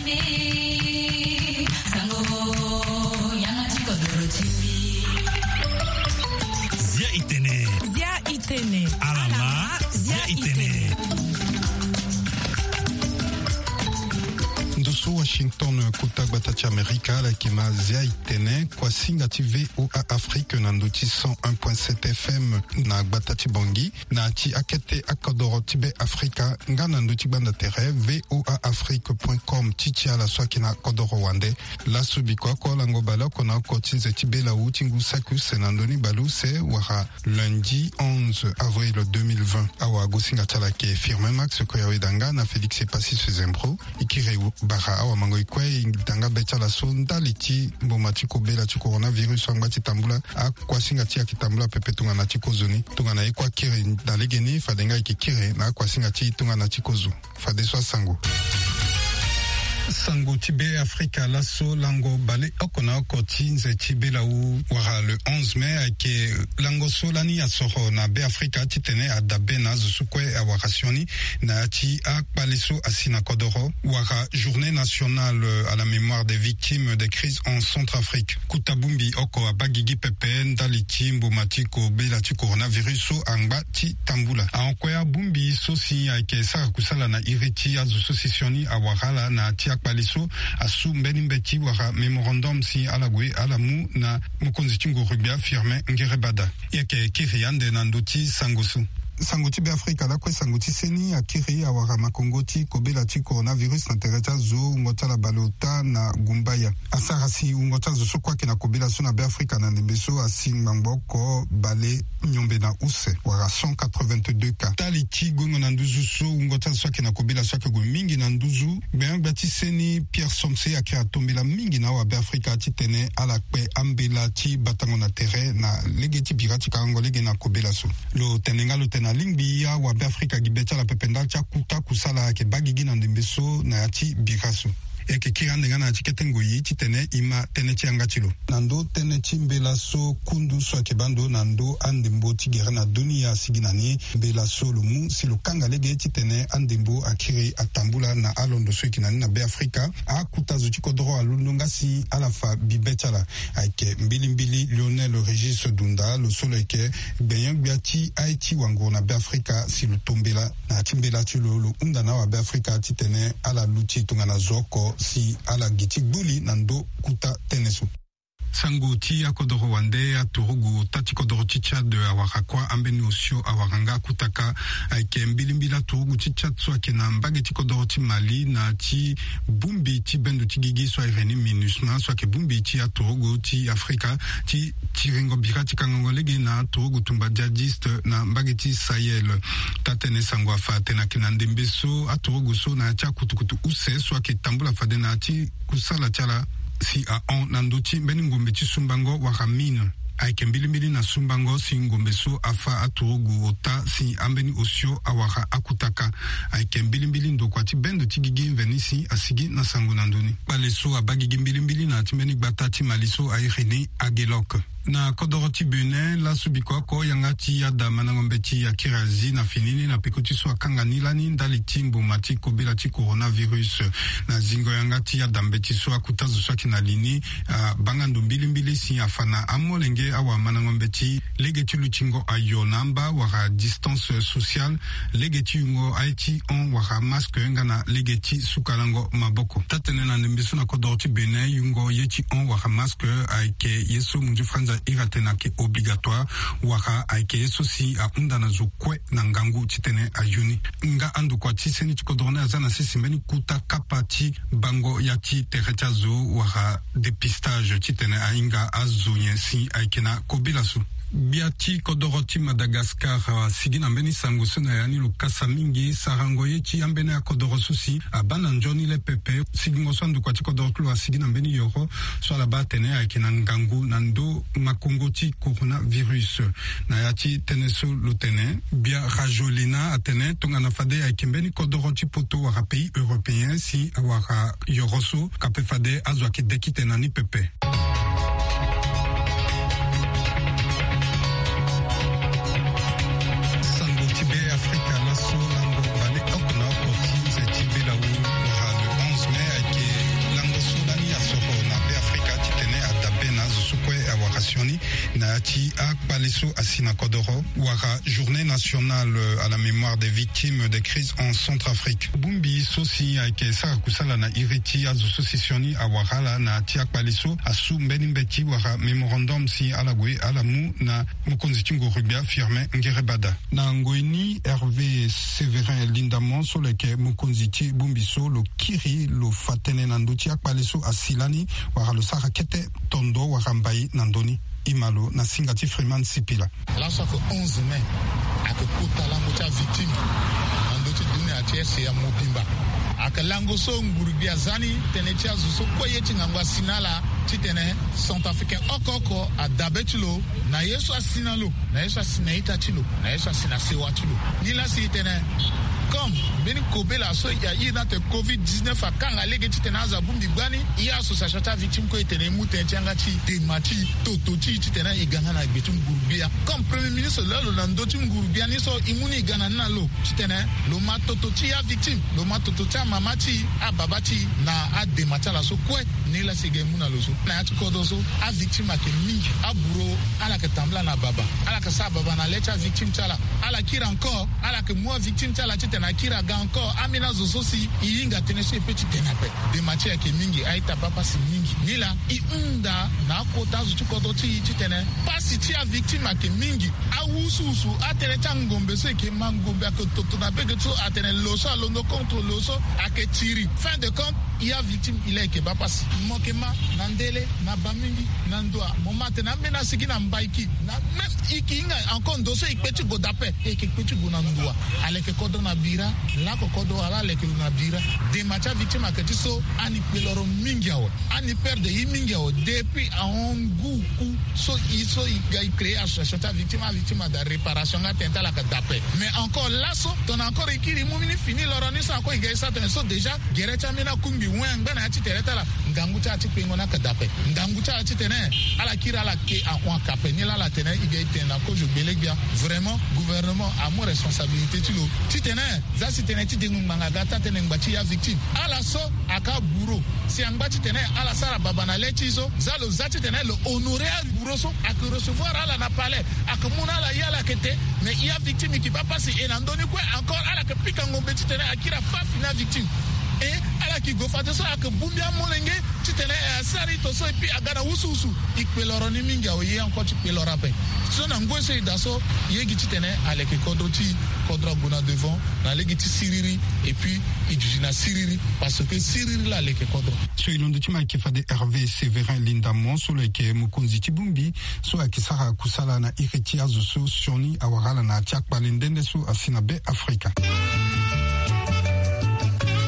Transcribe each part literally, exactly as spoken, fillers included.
Zia itene. Zia itene. Alama. Zia itene. Ndo so Washington, kota gbata ti Amerika, ala yeke ma Zia itene, kuasinga ti V O A Afrique na ndo ti cent un point sept F M na gbata ti Bangui, na ya ti akete akodoro ti Be Afrika, nga na ndo ti gbanda tere V O A Afrique point com ti ti ala so ayeke na kodoro wande. Laso biko oko lango baleoko na oko ti nze ti belawu ti ngu saki use na ndoni baleuse wala lundi onze avril deux mille vingt. Awagosinga ti ala ayeke Firmin Max Koyaweda nga na Félix Epassis Fezembro. E kiri bara awamango-e kue, e da nga be ti ala so ndali ti mboma ti kobela ti coronavirus so angba ti tambula. Akuasinga ti e ayeke tambula pepe tongana ti kozoni. Tongana e kue akiri na legeni, fade nga e yeke kiri na akuasinga ti e tongana ti kozo. Fadeso asango. Sango ti Be Afrika laso, lango baleoko na oko ti nze ti belawu wala le onze mai ayeke lango so lani asoro na Be Afrika titene adabe na azo so kue awara sioni na ya ti akpale so asi na kodoro, wala journée nationale à la mémoire des victimes des crises en Centrafrique. Kota bongbi oko abaa gigi pepe ndali ti mboma ti kobela ti coronavirus so angba ti tambula. Ahon kue abongbi so si ayeke sara kusala na iri ti azo so si sioni awara ala na ya ti akpale so asu mbeni mbeti wala mémorandum si ala gue ala mu na mokonzi ti nguru-gbia Firmin Ngerebada. E yeke kiri ande na ndö ti sango so. Sango ti Be Afrika lakue, sango ti seni akiri awara makongo ti kobela ti coronavirus na tere ti azo wungo ti ala baleota na Gumbaya. Asara si wungo ti azo so kue ayeke na kobela so na Be Afrika na ndembe so asi ngbangbo oko bale miombe na use, wala cent quatre-vingt-deux cas. Ndali ti gongo na nduzu so wungo ti azo so ayeke na kobela so ayeke gue mingi na nduzu, gbenyo-gbia ti seni Pierre Somse ayeke atombela mingi na awabe Afrika titene ala kpe ambela ti batango na tere na lege ti bira ti karango lege na kobela so. Lo tene nga lo tene alingbi awabe Afrika gi be ti ala pepe ndali ti akuta kusala ayeke baa gigi na ndembe so na ya ti bira so. E yeke kiri ande nga na ya ti kete ngoi titene e ma tënë ti yanga ti lo. Na ndö tënë ti mbela so kundu so ayeke baa ndo na ndö andembo ti gere na dunia asigi na ni, mbela so lo mu si lo kanga lege titene andembo akiri atambula na alondo so e yeke na ni na Be Afrika. Akuta zo ti kodoro alondo nga si ala fa bibe ti ala. Ayeke mbilimbili Lionel Régis Dunda, lo so lo yeke gbenyo-gbia ti aye ti wanguru na Be Afrika, si lo tombela na ya ti mbela ti lo, lo hunda na awabe Afrika titene ala luti tongana zo oko si ala gi ti gbuli na ndö kuta tënë so. Sango ti akodoro wande, aturugu ota ti kodoro ti Tchad awara kuâ, ambeni osio awara nga akutaka. Ayeke mbilimbili aturugu ti Tchad so ayeke na mbage ti kodoro ti Mali na ya ti bongbi ti bendo ti gigi so ahiri ni MINUSMA, so ayeke bongbi ti aturugu ti Afrika ti tiringo bira ti kangango lege na aturugu tumba djihadiste na mbage ti Sahel. Taa-tënë sango afa atene ayeke na ndembe so aturugu so na ya ti akutukutu use so ayeke tambula fade na ya ti kusala ti ala si ahon na ndö ti mbeni ngombe ti sumbango wala mine. Ayeke mbilimbili na sumbango si ngombe so afâ aturugu ota si ambeni osio awara akutaka. Ayeke mbilimbili ndokua ti bendo ti gigi mveni si asigi na sango na ndö ni. Kpale so abaa gigi mbilimbili na ya ti mbeni gbata ti Mali so airi ni Aguelok. Na kodoro ti Bénin, laso biko oko yanga ti yada mandango mbeti akiri azi na fini ni na peko ti so akanga ni lani ndali ti mboma ti kobela ti coronavirus. Na zingo yanga ti yada mbeti so, akuta zo so ayeke na li ni abaa nga ndo mbilimbili si afa na amolenge awamandango mbeti, lege ti lutingo ayo na amba wala distance sociale, lege ti yungo aye ti hon wala masque nga na lege ti sukalango maboko. Taa-tënë na ndembe so na kodoro ti Bénin, yungo ye ti hon wala masque ayeke ye so munzu franza iri atene ayeke obligatoire, wala ayeke ye so si ahunda na zo kue na ngangu titene ayo ni. Nga andokua ti seni ti kodoro ni aza na sese mbeni kuta kapa ti bango ya ti tere ti azo wala dépistage titene ahinga azo nyen si ayeke na kobela so. Gbia ti kodoro ti Madagascar, ah, asigi na mbeni sango so na ya ni lo kasa mingi, sarango ye ti ambeni akodoro so si abaa na nzoni le pepe. Sigingo so andokua ti kodoro ti lo asigi na mbeni yoro so ala baa atene ayeke na ngangu na ndö makongo ti coronavirus. Na ya ti tënë so lo tene, gbia Rajolina atene tongana fade ayeke mbeni kodoro ti poto wala pays européen si awara yoro so, kape fade azo ayeke dekite na ni pepe. Sango ti Be Afrika laso, lango baleoko na oko ti nze ti belawu wala le onze mai ayeke Ati akpale so asi na kodoro wala journée nationale à la mémoire des victimes des crises en Centrafrique. Bongbi so si ayeke sara kusala na iri ti azo so si sioni awara ala na ti akpale so asu mbeni mbeti wala mémorandum si ala gue ala mu na mokonzi ti nguru-gbia Firmin Ngerebada. Na ngoi ni Hervé Sévérin Lindamon so lo yeke mokonzi ti bongbi so lo kiri lo fa tënë na ndö ti akpale so asi lani wala lo sara kete tondo wala mbai na ndö ni. Imalo na singa ti Freeman Sipila. Laso ayeke onze mai, ayeke kota lango ti avictime na ndö ti dunia ti R C A mobimba. Ayeke lango so nguru-gbia aza ni tënë ti azo so kue ye ti ngangu asi na ala titene centrafricain oko oko adabe ti lo na ye so asi na lo, na ye so asi na ita ti lo, na ye so asi na sewa ti lo. Nilaa si e tene comme mbeni kobela so e iri ni atene covid dix-neuf akanga lege titene azo abongbi gbani, e association ti avictime kue e tene e mu tënë ti yanga ti e, dema ti e, toto ti e titene e ga nga na gbe ti nguru-gbia. Comme premier ministre lo yeke na ndö ti nguru-gbia ni so e mu ni e ga na ni na lo titene lo ma toto ti e avictime, lo ma toto ti amama ti e, ababa ti e na adema ti ala so kue. Nilaa si e ga e mu na lo so na ya ti kodro so avictime ayeke mingi. Aburo ala yeke tambula na baba, ala yeke sara baba na le ti avictime ti ala. Ala kiri encore, ala yeke mu avictime ti ala titene akiri aga encore. Ambeni azo so si e hinga tënë so e pe ti tene ape. Dema ti e ayeke mingi, a-ita baa pasi mingi. Nilaa e hunda na akota azo ti kodro ti e titene pasi ti avictime ayeke mingi. Awusuwusu atënë ti angombe so e yeke ma ngombe ayeke toto na bege ti so atene lo so alondo contre lo so ayeke tiri. Fin de compte, e avictime e laa e yeke baa pasi. Mo yeke ma na ndele, na bamingi, na ndoa. Mo ma atene ambeni asigi na mbaiki. Na même e yeke hinga encore ndo so e kpe ti gue daa ape, e yeke kpe ti gue na ndoa. Ala yeke kodro na bira, lako kodro wala ala yeke lo na bira. Dema ti avictime ayeke ti so ani kpe loro mingi awe. Ani perdre ye mingi awe depuis ahon ngu ku so e so e ga e créer association ti avictime, avictime ada réparation nga tënë ti ala ayeke daa ape. Mais encore laso tongana encore e kiri e mu mbeni fini loro ni so encore e ga e sara tënë so déjà gere ti ambeni akungbi wen angba na ya ti tere ti ala. Ngangu ti ala ti kpengo ni ayeke daa ape. Ngangu ti ala titene ala kiri ala ke ahon ayeke ape. Nilaa ala tene e ga e tene na kozo gbele-gbia. Vraiment gouvernement amu responsabilité ti lo titene za si tënë ti dengo ngbanga aga taa-tënë ngba ti e avictime. Ala so ayeke aburo si angba titene ala sara baba na le ti e so, za lo za titene lo honorer aburo so ayeke recevoir ala na palais, ayeke mu na ala ye ala yeke te. Mais e avictime e yeke baa pasi e na ndö ni kue encore ala yeke pika ngombe titene akiri afa fini avictime. E ala yeke gue fadeso ayeke bongbi amolenge titene e asara ito so et puis aga na wusuwusu. E kpe loro ni mingi awe, ye encore ti kpe loro ape. So na ngoi so e daa so e yeke titene ala yeke kodro ti e, kodro ague na devant na lege ti siriri et puis e duti na siriri parce que siriri laa ala yeke kodro. So e londo ti ma ayeke fade Hervé Sévérin Lindamon so lo yeke mokonzi ti bongbi so ayeke sara kusala na iri ti azo so sioni awara ala na ya ti akpale nde nde so asi na Be Afrika. E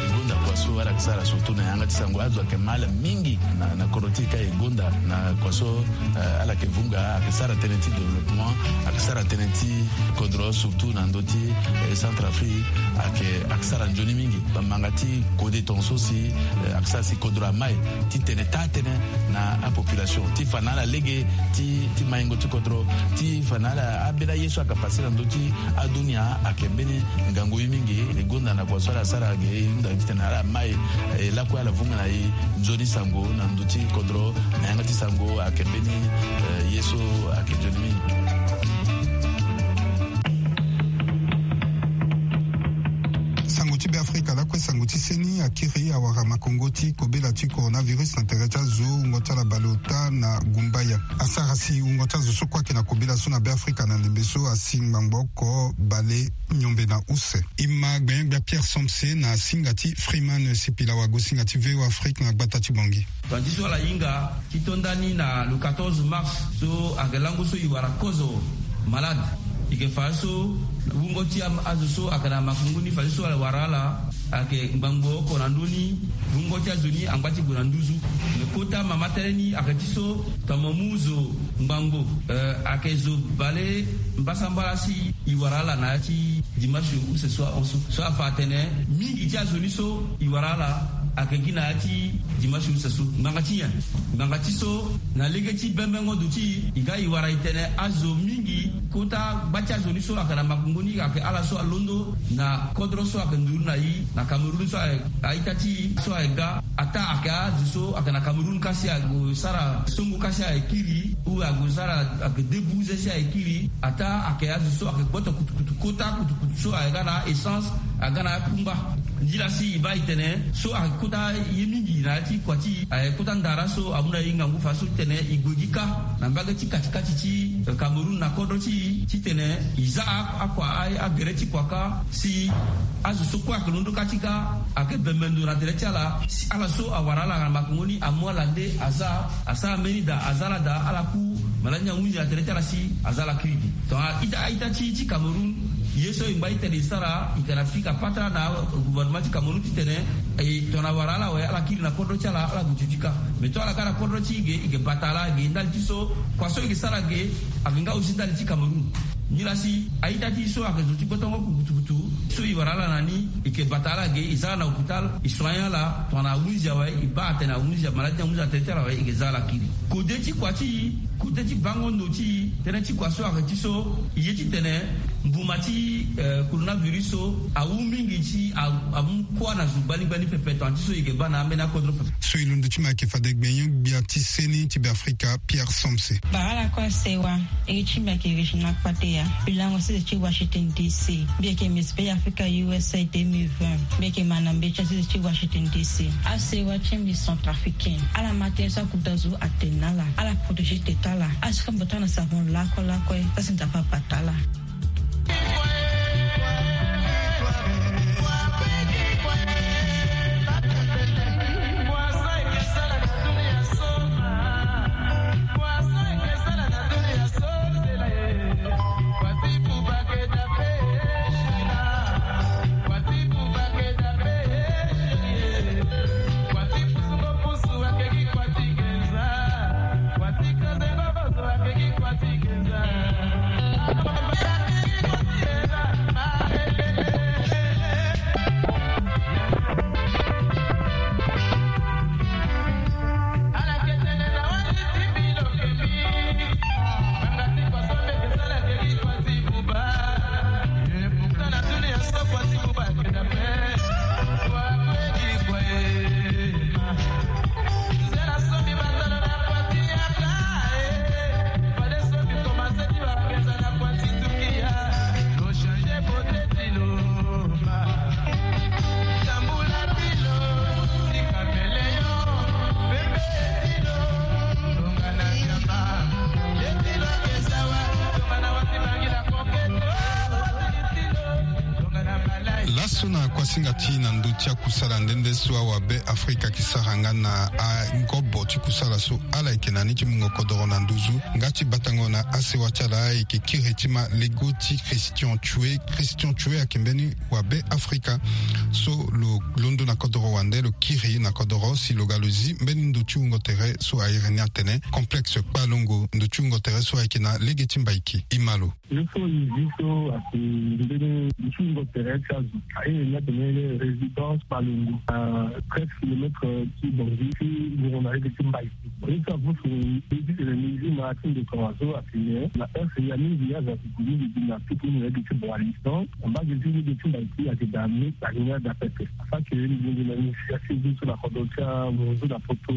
gonda kua so ala yeke sara surtout na yanga ti sango, azo ayeke ma ala mingi na, na kodro ti e ka e gonda na kua so, eh, ala yeke vunga, ayeke sara tënë ti développement, ayeke sara tënë ti kodro surtout na ndö ti, eh, Centrafrique, ayeke, ayeke sara nzoni mingi. Bamanga ti kode tongaso si, eh, ayeke sara si kodro amai ti tene taa-tënë na apopulation ti fa na ala lege ti, ti maingo ti kodro, ti fa na ala ambeni aye so ayeke pase na ndö ti adunia ayeke mbeni ngangu ye mingi. E gonda na kua so ala sara ge e hunda titene ala mai, eh, lakue ala vunga na e nzoni sango na ndö ti kodro na yanga ti sango ayeke mbeni, eh, ye so ayeke nzoni mingi. Sango ti Be Afrika lakue sango ti seni akiri awara makongo ti kobela ti coronavirus na tere ti azo wungo ti ala baleota na Gumbaya. Asara si wungo ti azo so kue ayeke na kobela so na Be Afrika na ndembe so asi ngbangbo oko bale miombe na use. E ma gbenyo-gbia Pierre Somse na singa ti Freeman Sipila wago singa ti V O Afrique na gbata ti Bangui. Tonga ti so ala hinga ti to ndani na le quatorze mars so ayeke lango so e wara kozo malade. E yeke fa so wungo ti am-, azo so ayeke na makongo ni fa so ala wara ala ayeke ngbangbo oko na ndö ni. Wungo ti azo ni angba ti gue na nduzu. Me kota mama tënë ni ayeke ti so tongana mo mu zo ngbangbo, eh, ayeke zo bale mbasambala si e wara ala na ya ti dimanche use so ahon so. So afa atene mingi ti azo ni so e wara ala ayeke gi na ya ti dimanche use so. Ngbanga ti nyen? Ngbanga ti so na lege ti bembengo ndo ti e, e ga e wara e tene azo mingi Kota gba ti azo ni so ayeke na makongo ni ayeke ala so alondo na kodro so ayeke nduru na e na Cameroun so aye, a-ita ti e so aye ga. Ataa ayeke azo so ayeke na Cameroun kasi ague sara songo kasi aye kiri ou ague sara, ayeke debu ze si aye kiri. Ataa ayeke azo so ayeke gboto kutukutu kota kutukutu so aye ga na essence, aye ga na akungba. Nzila si e baa e tene so ayeke kota ye mingi na ya ti kua ti e, ayeke kota ndara so amu na e ngangu fa so ti tene e gue gi kâ na mbage ti katikati ti, eh, Cameroun na kodro ti e ti tene e za a- akua a- agere ti kua kâ si azo so kue ayeke londo kâ ti ga ayeke bembe ndo na tere ti ala si ala so awara ala na makongo ni amu ala nde aza asara mbeni daa aza ala daa ala ku maladi ni ahunzi na tere ti ala si aza ala kiri gi. Tongana a-ita ti ti Cameroun ye so e ngba ti tene e sara e yeke na pika patara na gouvernement ti Cameroun ti tene e tongana wara ala awe ala kiri na kodro ti ala ala gue ti kâ. Mais tongana ala ga na kodro ti e ge e yeke bata ala ge ndali ti so kua so e yeke sara ge. Ayeke nga aussi ndali ti Cameroun. Nilaa si a-ita ti e so ayeke zo ti gbotongo kutukutu so e wara ala na ni e yeke bata ala ge e za ala na hôpital e soigner ala tongana ahunzi awe e baa atene ahunzi amaladi ni ahunzi atene ti ala awe e yeke za ala kiri. Kode ti kua ti e kode ti bango ndo ti e tënë ti kua so ayeke ti so e ye ti tene mbuma ti, eh, coronavirus so awu mingi ti a- amu kuâ na zo gbani gbani pepe tongana ti so e yeke baa na ambeni akodro pepe. So e londo ti me ayeke fade gbenyo gbia ti seni ti Beafrika Pierre Somse. Bara lakue sewa. Iri ti mbi ayeke Regina Kpateya. Mbi lango sese ti Washington D C. Mbi yeke Miss Bêafrika U S A deux mille vingt. Mbi yeke manda mbi ti sese ti Washington D C. Asewa ti mbi Centrafricain ala ma tënë so akuta zo atene na ala ala protégé tete ala. Asika mbi bata na savon lakue lakue. Sasi Nzapa abata ala. Laso na kuasinga ti na ndö ti akusala nde nde so awabe Afrika ayeke sara nga na angobo ti kusala so ala yeke na ni ti mungo kodoro na nduzu nga ti batango na asewa ti ala ayeke kiri ti ma lego ti Christian Tchoué. Christian Tchoué ayeke mbeni wabe Afrika so lo londo na kodoro wande lo kiri na kodoro si lo ga lo zi mbeni ndo ti wungo tere so a iri ni atene Complexe Kpalongo, ndo ti wungo tere so ayeke na lege ti Mbaiki. E ma lo. Ye so e zi so ayeke mbeni ndo ti wungo tere ti azo. A iri ni atene résidence Kpalongo, na treize kilomètres ti Bangui ti wungo na lege ti Mbaiki. Ye so avusu e zi tene mbi zi ma ti ndo tongaso atene na heure ya mingi azo ayeke gue mingi gi na piki ni na lege ti Boalisson. Mbage ti lege ti Mbaiki ayeke daa me alinga daa pepe. Afa ke mbi gue na ni si asi zi so na kodro ti amunzu na poto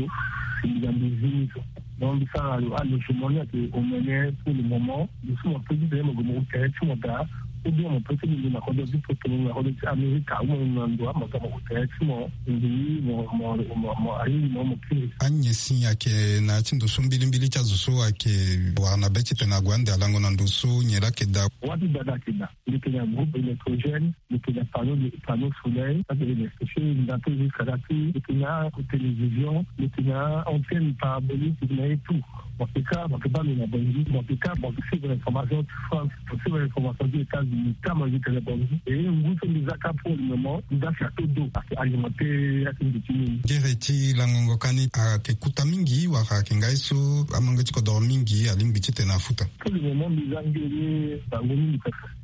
si mbi ga mbi zi ni so. Donc mbi sara lo alogement ni ayeke omene pour le moment. Mbi so mo peut ti tene mo gue mo tere ti mo daa. Ou bien mo peut ti mbi gue na kodro ti poto, na kodro ti Amerika, ou mo na ndo ama ga mo gue tere ti mo. Mbi mo mo mo mo ahingi mo mo kiri. Anye si ayeke na ya ti ndo so mbilimbili ti azo so ayeke wara na be ti tene ague ande alango na ndo so nyen laa ayeke daa. Wâ ti daa daa ayeke daa. Mbi yeke na groupe électrogène, mbi yeke na panneau, panneau solaire, ça c'est électrifié, mbi na tout jusqu'à là, mbi yeke na télévision, mbi yeke na antenne parabolique, mbi yeke na ye tout. Mo yeke ka, mo yeke baa mbi na Bangui, mo yeke ka, mo yeke suivre information ti France, mo yeke suivre information ti États-Unis, ka mo yeke tene Bangui. Et ngu so mbi za ka pour le moment, mbi za château d'eau, ayeke alimenté ya ti mbi ti mini. Gere ti langongo ka ni ayeke kuta mingi wala ayeke ngai so amange ti kodoro mingi alingbi ti tene afuta. Pour le moment, mbi za nge ni bango mingi pepe.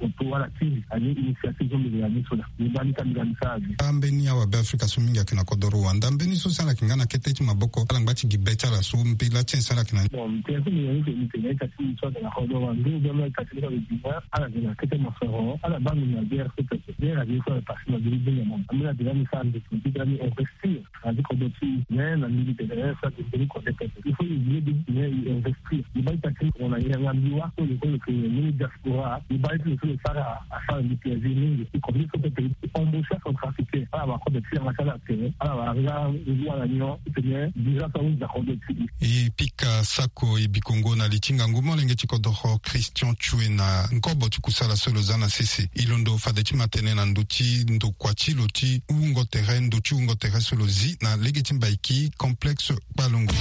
Oto ala tiri ani initiative so mbele ya ni so na ni baa ni ka mbela ni sara gi. Ambeni awa Beafrika so mingi ayeke na kodoro wanda mbeni so si ala yeke nga na kete ti maboko ala ngba ti gi be ti ala so mbela ti en si ala yeke na ni. Bon, mbi tene so mbi yeke ni tene ita ti mbi so ayeke na kodoro wanda ou bien mbi ita ti mbi so ayeke bima ala yeke na kete mosoro ala baa mbi na guerre so pepe. Guerre ayeke so ayeke pase na diri diri na mama ambeni adela mbi sara mbi ti mbi ti dala mbi investir na ti kodro ti e. Mais na mbi mbi tene so ayeke mbeni kode pepe il faut e vie mbi ti tene e investir e baa ita ti mbi na yanga mbi wa so lo so lo yeke mbeni diaspora e baa ye ti lo so lo sara asara mbi plaisir mingi. E kode so pepe e embaucher acentrafricain ala wara kode ti yanga ti ala tene ala wara nga ngu ala nyon ti tene visa so ahunzi na kode ti e. E pika sako e bikongo na li ti ngangu molenge ti kodoro Christian Tchoué na nkobo ti kusala so lo za na sese. E londo fade ti ma tene na ndö ti ndokua ti lo ti wungo tere ndö ti wungo tere so lo zi na lege ti mbaiki complexe Kpalungu.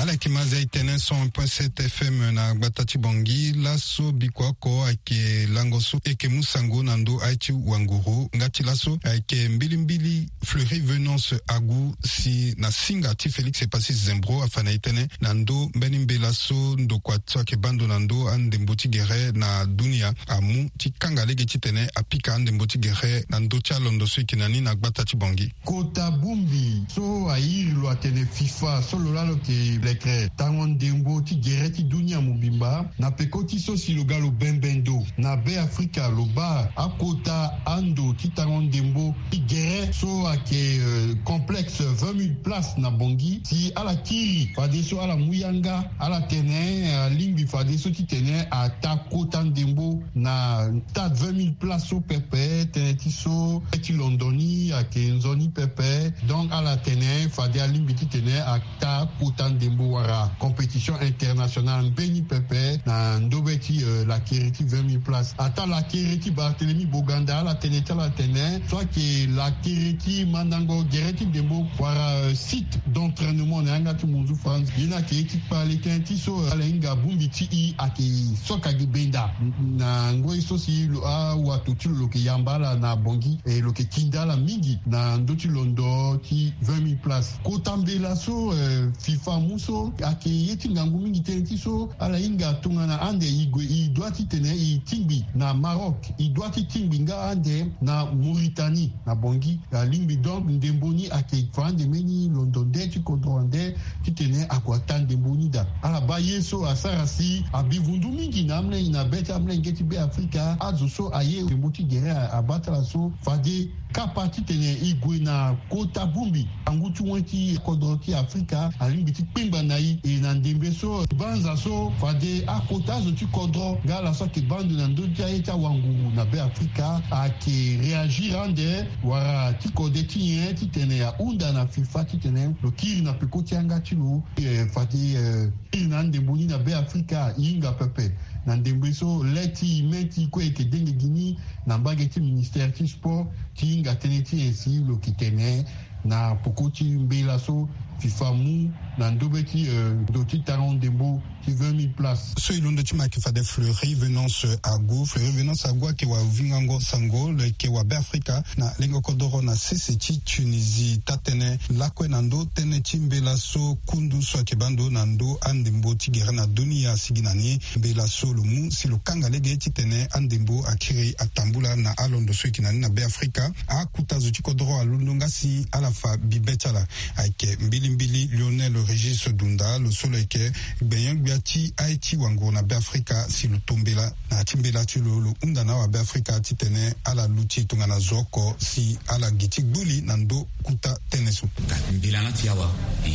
Ala yeke ma zia e tene cent un point sept F M na gbata ti Bangui. Laso biko oko ayeke lango so e yeke mu sango na ndö aye ti wanguru nga ti laso ayeke mbilimbili Fleury Venance Agu si na singa ti Félix Epacis Zembro afa na e tënë na ndö mbeni mbela so ndokua so ayeke baa ndo na ndö andembo ti gere na dunia amu ti kanga lege titene apika andembo ti gere na ndö ti alondo so e yeke na ni na gbata ti Bangui. Kota bongbi so a iri lo atene FIFA so lo laa lo yeke lekere tango ndembo ti gere ti dunia mobimba na peko ti so si lo ga lo bembe ndo na Beafrika lo baa akota ando ti tango ndembo ti gere so ayeke complexe vingt mille places na Bangui si ala kiri fadeso ala mu yanga ala tene alingbi fadeso titene ata kota ndembo na stade vingt mille places so pepe tënë ti so ti londo ni ayeke nzoni pepe. Donc ala tene fade alingbi titene ata kota ndembo wala compétition internationale mbeni pepe na ndobe ti lakiri ti vingt mille places ata lakiri ti Barthélemy Boganda ala tene ti ala tene so ayeke lakiri ti mandango gere ti ndembo wala site d'entraînement na yanga ti munzu France ye ni ayeke ye ti kpale tënë ti so ala hinga bongbi ti e ayeke soka gi benda na ngoi so si awato ti lo lo yeke yamba ala na Bangui e lo yeke tinda ala mingi na ndö ti londo ti vingt mille places kota mbela so FIFA amu so ayeke ye ti ngangu mingi tënë ti so ala hinga tongana ande e gue e doit titene e tingbi na Maroc e doit ti tingbi nga ande na Mauritanie na Bangui alingbi donc ndembo ni ayeke fa ande mbeni londo nde ti kodro wande titene ague ata ndembo ni daa ala baa ye so asara si abi vundu mingi na amolenge na be ti amolenge ti Beafrika azo so aye ndembo ti gere abaa ti ala so fade kapa titene e gue na kota bongbi angu ti wen ti kodro ti Afrika alingbi ti kpengba na e e na ndembe so banza so fade akota azo ti kodro nga ala so ayeke baa ndo na ndö ti aye ti awanguru na Beafrika ayeke réagir ande wala ti kode ti nyen titene ahunda na FIFA titene lo kiri na peko ti yanga ti lo. Fade kiri na andembo ni na Beafrika e hinga pepe na ndembe so le ti e me ti kue e yeke denge gi ni na mbage ti ministère ti sport ti hinga tënë ti nyen si lo yeke tene na peko ti mbela so FIFA amu Na ndo be ti ndo ti talon ndembo ti vingt mille places. So e londo ti ma ayeke fade Fleury Venance Agu. Fleury Venance Agu ayeke wavingango sango lo yeke wa Beafrika na lengo kodoro na sese ti Tunisie. Taa-tënë lakue na ndo tënë ti mbela so kundu so ayeke baa ndo na ndo andembo ti gere na dunia asigi na ni. Mbela so lo mu si lo kanga lege titene andembo akiri atambula na alondo so e yeke na ni na Beafrika. Akuta zo ti kodoro alondo nga si ala fa bibe ti ala. Ayeke mbilimbili Lionel Régis Dunda, lo so lo yeke gbenyo-gbia ti aye ti wanguru na Beafrika, si lo to mbela na ya ti mbela ti lo, lo hunda na awabeafrika titene ala luti tongana zo oko si ala gi ti gbuli na ndo kuta tënë so. Mbela na ti awa e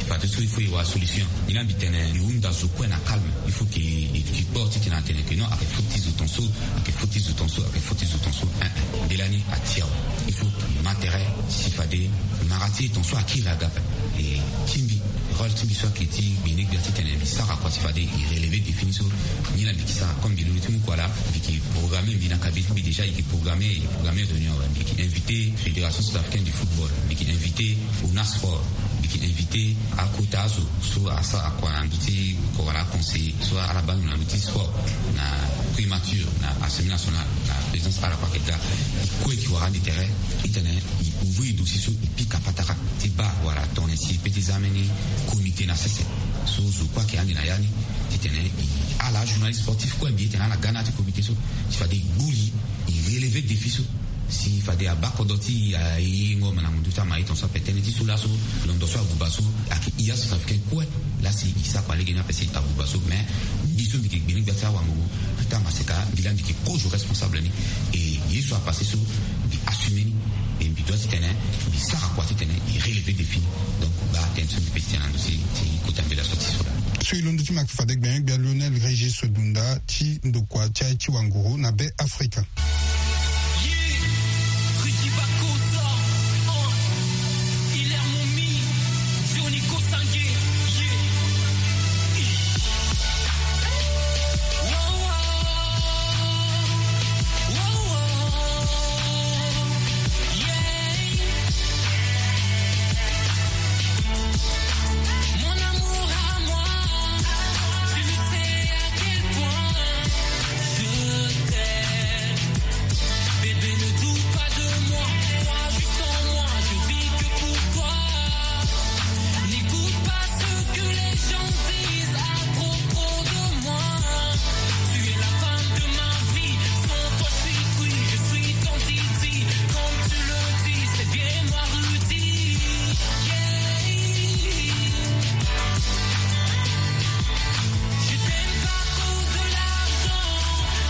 fadeso il faut e wara solution. Nilaa mbi tene e hunda zo kue na calme. Il faut que e kpo titene atene que non, ayeke faute ti zo tonso, ayeke faute ti zo tonso, ayeke faute ti zo tonso. Mbela ni ati awa. Il faut ma tere si fade mara ti e tonso akiri aga. E tingbi rôle ti mbi so ayeke ti gbene gbia titene mbi sara kua si fade e relever défi ni so. Nilaa mbi yeke sara comme mbi londo ti mu kua laa, mbi yeke programme mbi na kabine ti mbi déjà, e yeke programme, e programme réunion awe. Mbi yeke invité Fédération Centrafricaine de Football, mbi yeke invité Ona Sport, mbi yeke invité akota azo so asara kua na ndö ti kua wala aconseiller so ala baa ndo na ndö ti sport na primature na Assemblée nationale na présidence, ala kue ayeke ga. E kue e yeke wara ande tere titene e ouvrir dossier so e pika patara ti baa wala tongana si e peut ti za ambeni comité na sese so zo kue ayeke ande na ya ni. Titene e ala ajournaliste sportif kue mbi e tene ala ga na ya ti comité so si fade e gbuli, e relever défi so. Si fade abaa kodro ti e ayengo ma na mundu ti ama e tonso ape tënë ti so laso londo so abuba so ayeke hia Centrafricain kue. Laa si e sara kua lege ni ape si abuba so, mais mbi so mbi yeke gbene gbia ti awango ata maseka mbi laa mbi yeke kozo responsable ni. E ye so apasse so mbi assumer ni. E mbi doit titene mbi sara kua titene e relever défi ni. Donc baa tënë so mbi peut ti tene na ndö ti ti kota mbela so ti so laa. So e londo ti ma ayeke fade gbenyo-gbia Lionel Régis Dunda ti ndokua ti aye ti wanguru na Beafrika. Mon amour à moi, tu ne sais à quel point je t'aime. Bébé, ne doute pas de moi, crois juste en moi, je vis que pour toi. N'écoute pas ce que les gens disent à propos de moi. Tu es la femme de ma vie, sans toi je suis cuit, je suis ton Didi. Comme tu le dis, c'est bien moi Rudy. Yeah. Je t'aime pas à cause de l'argent,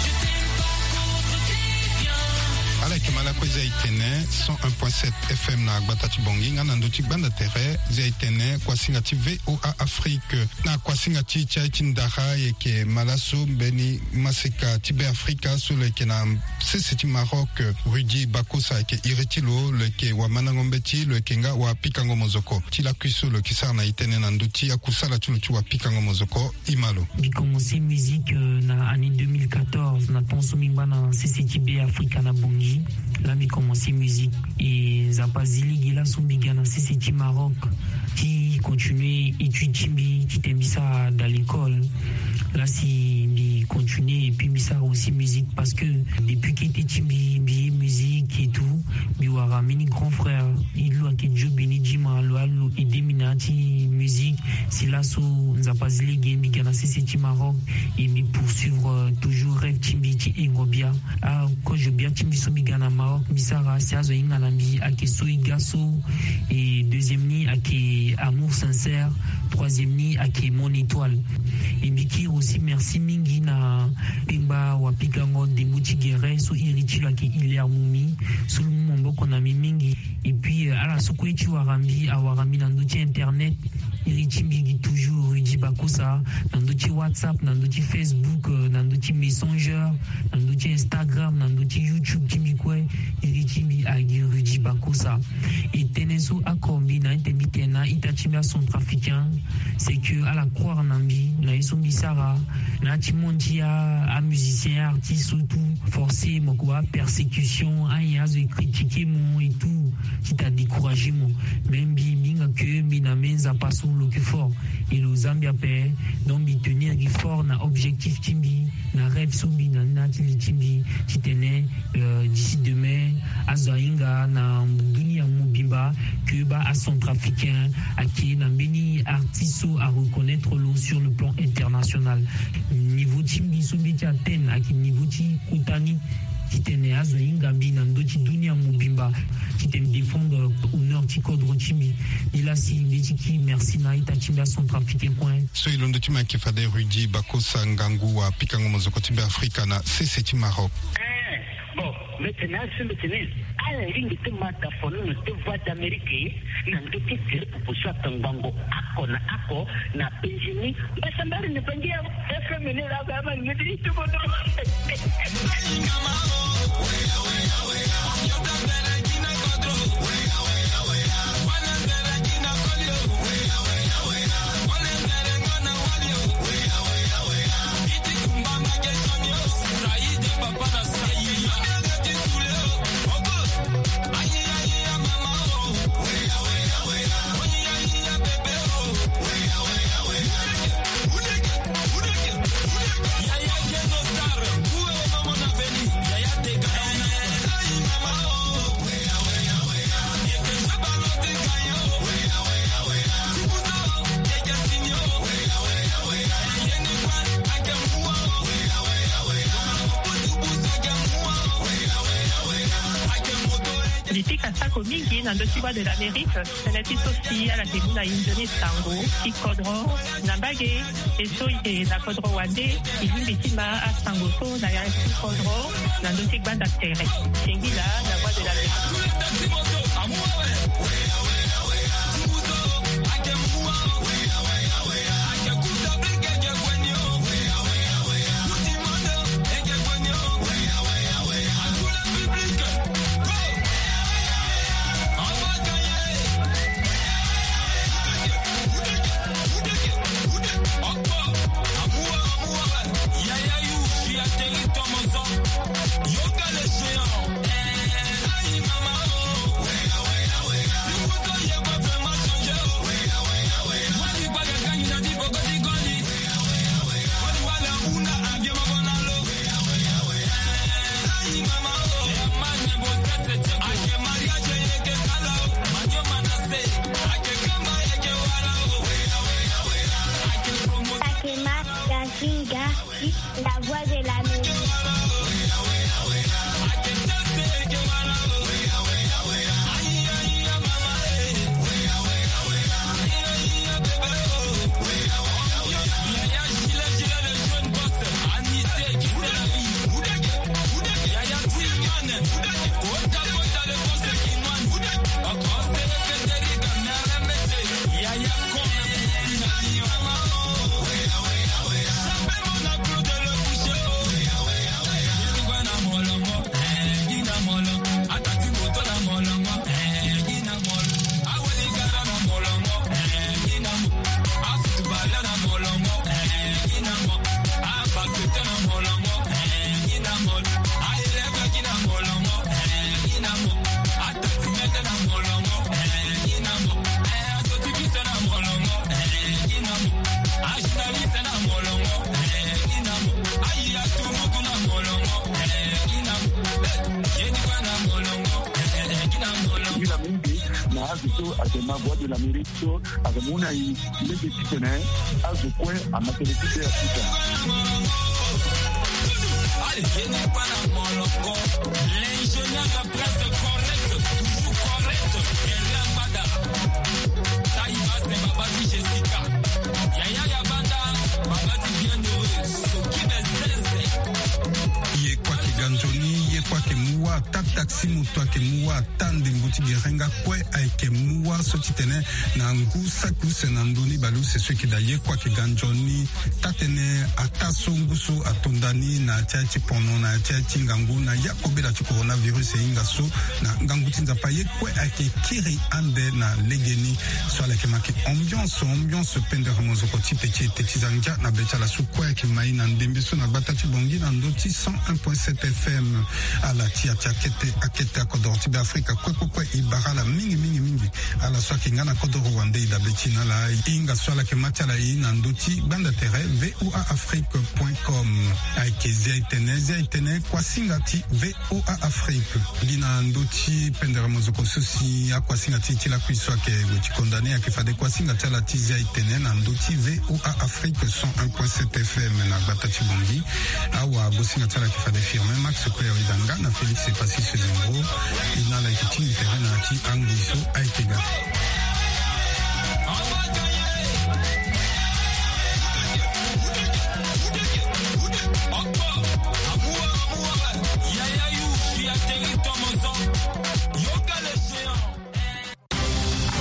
je t'aime pas à cause de tes biens. Ala yeke ma lakue, eza e tene cent un point sept F M na gbata ti Bangui nga na ndö ti gbanda tere. Eza e tene kuasinga ti V O A Afrique. Na kuasinga ti ti aye ti ndara, e yeke ma laso mbeni maseka ti Beafrika so lo yeke na sese ti Maroc, Rudy Bacossa ayeke iri ti lo. Lo yeke wamandango mbeti, lo yeke nga wapikango mozoko ti lakui so lo yeke sara na e tënë na ndö ti akusala ti lo ti wapikango mozoko. E ma lo. Mbi commencé musique, euh, na année deux mille quatorze, na temps so mbi ngba na sese ti Beafrika na Bangui. Laa mbi commencé musique. E Nzapa azi lege laso mbi ga na sese ti Maroc ti continuer étude ti mbi titene mbi sara dans l'école. Laa si mbi continuer et puis mbi sara aussi musique parce que depuis kete ti mbi, mbi ye musique et tout, mbi wara mbeni grand frère, e lo ayeke Joe Béni Djima, lo a lo aidé mbi na ya ti musique. Si laso Nzapa azi lege mbi ga na sese ti Maroc et mbi poursuivre, euh, toujours rêve ti mbi ti hengo bia. Akozo bia ti mbi so mbi ga na Maroc mbi sara si azo ahinga na mbi ayeke So e ga so. Et deuxième ni ayeke Amour sincère. Troisième ni ayeke Mon étoile. Et mbi kiri aussi merci mingi na kpengba wapikango ndembo ti gere so iri ti lo ayeke Hilaire Moumi, so lo mu maboko na mbi mingi. Et puis, euh, ala so kue ti wara mbi awara mbi na ndö ti internet. Iri ti mbi gi toujours Rudy Bacossa, na ndö ti WhatsApp, na ndö ti Facebook, euh, na ndö ti Messenger, na ndö ti Instagram, na ndö ti YouTube ti mbi kue. Iri ti mbi agi Rudy Bacossa. E tënë so oko mbi na ete mbi tene na ita ti mbi acentrafricain, c'est que ala croire na mbi na ye so mbi sara. Na ti mo ti a amusicien, artiste so tout forcé mo ko wa persécution, ayen azo e critiquer mo et tout, ti ta décourager mo. Même mbi mbi hinga ke mbi na me nzapa so lo ke fort, e lo zambia pe. Donc mbi tenir gi fort na objectif ti mbi, na rêve so mbi na ni na ti li ti mbi, ti tene d'ici demain azo ahinga na dunia mobimba ke ba acentrafricain ake na mbeni artiste so areconnaitre lo sur le plan international. Niveau ti mbi so mbi ti atteindre ake niveau ti kota ni, ti tene azo ahinga mbi na ndo ti dunia mobimba, ti tene défendre honneur ti kodro ti mbi. Ni la si mbi ti ki merci na ita ti mbi acentrafricain kue. So e londo ti maki fade Rudy Bakosa Ngangu wa pikango mozoko ti mbi Afrika na sese ti Maroc. Bon, mbete na asi mbete ni. Ala lingbi ti mata fono na ti voix d'Amérique na ndo ti tere pupu so atangbango ako na ako na penjini. Mbasambari na bangi ya F M ni la ba ma ni ti tubo do. Mbi pika sako mingi na ndö ti Voix de l'Amérique. Tënë ti so si ala ke mu na inzo ni sango ti kodro na mbage. E so e na kodro wande, e lingbi ti ma asango so na ya ti kodro na ndö ti gbanda tere. Singila na Voix de l'Amérique. Akema Gazinga, la voix de l'Amérique. Ngi na mingi na azo so ayeke ma Voix de l'Amérique so ayeke mu na e lege titene azo kue ama tene ti be afuta. Ye kue ayeke ga nzoni, ye kue ayeke mu wa tak tak. Si moto ayeke mu wâ ata ndembo ti gerenga kue ayeke mu wâ so ti tene na ngu saki use na ndö ni baleuse so eke daa ye kue ayeke ga nzoni. Taa-tënë ataa so ngu so atonda ni na ya ti aye ti pono na ya ti aye ti ngangu na ya kobela ti coronavirus e hinga so na ngangu ti Nzapa ye kue ayeke kiri ande na legeni. So ala yeke ma yeke ambiance ambiance pendere mozoko ti pe ti ete ti za ngia na be ti ala so kue ayeke ma e na ndembe so na gbata ti Bangui na ndö ti cent un point sept F M. Ala ti ya ti akete akete akodoro ti Beafrika kue kue kue e bara ala mingi mingi mingi. Ala so ayeke nga na kodoro wande e dabe ti e na ala e hinga so ala yeke ma ti ala e na ndö ti gbanda tere V O A Afrique point com. Ayeke Zia e tene, Zia e tene, kuasinga ti V O A Afrique. Gi na ndö ti pendere mozoko so si akuasinga ti e ti lakui so ayeke gue ti konda ni ayeke fade kuasinga ti ala ti Zia e tene na ndö ti V O A Afrique cent un point sept F M na gbata ti Bangui. Awa gosinga ti ala ayeke fade Firmin Max Koya Wedanga na Félix Epassis Zembro. E na ala yeke tingbi tere na ya ti angoi so ayeke ga.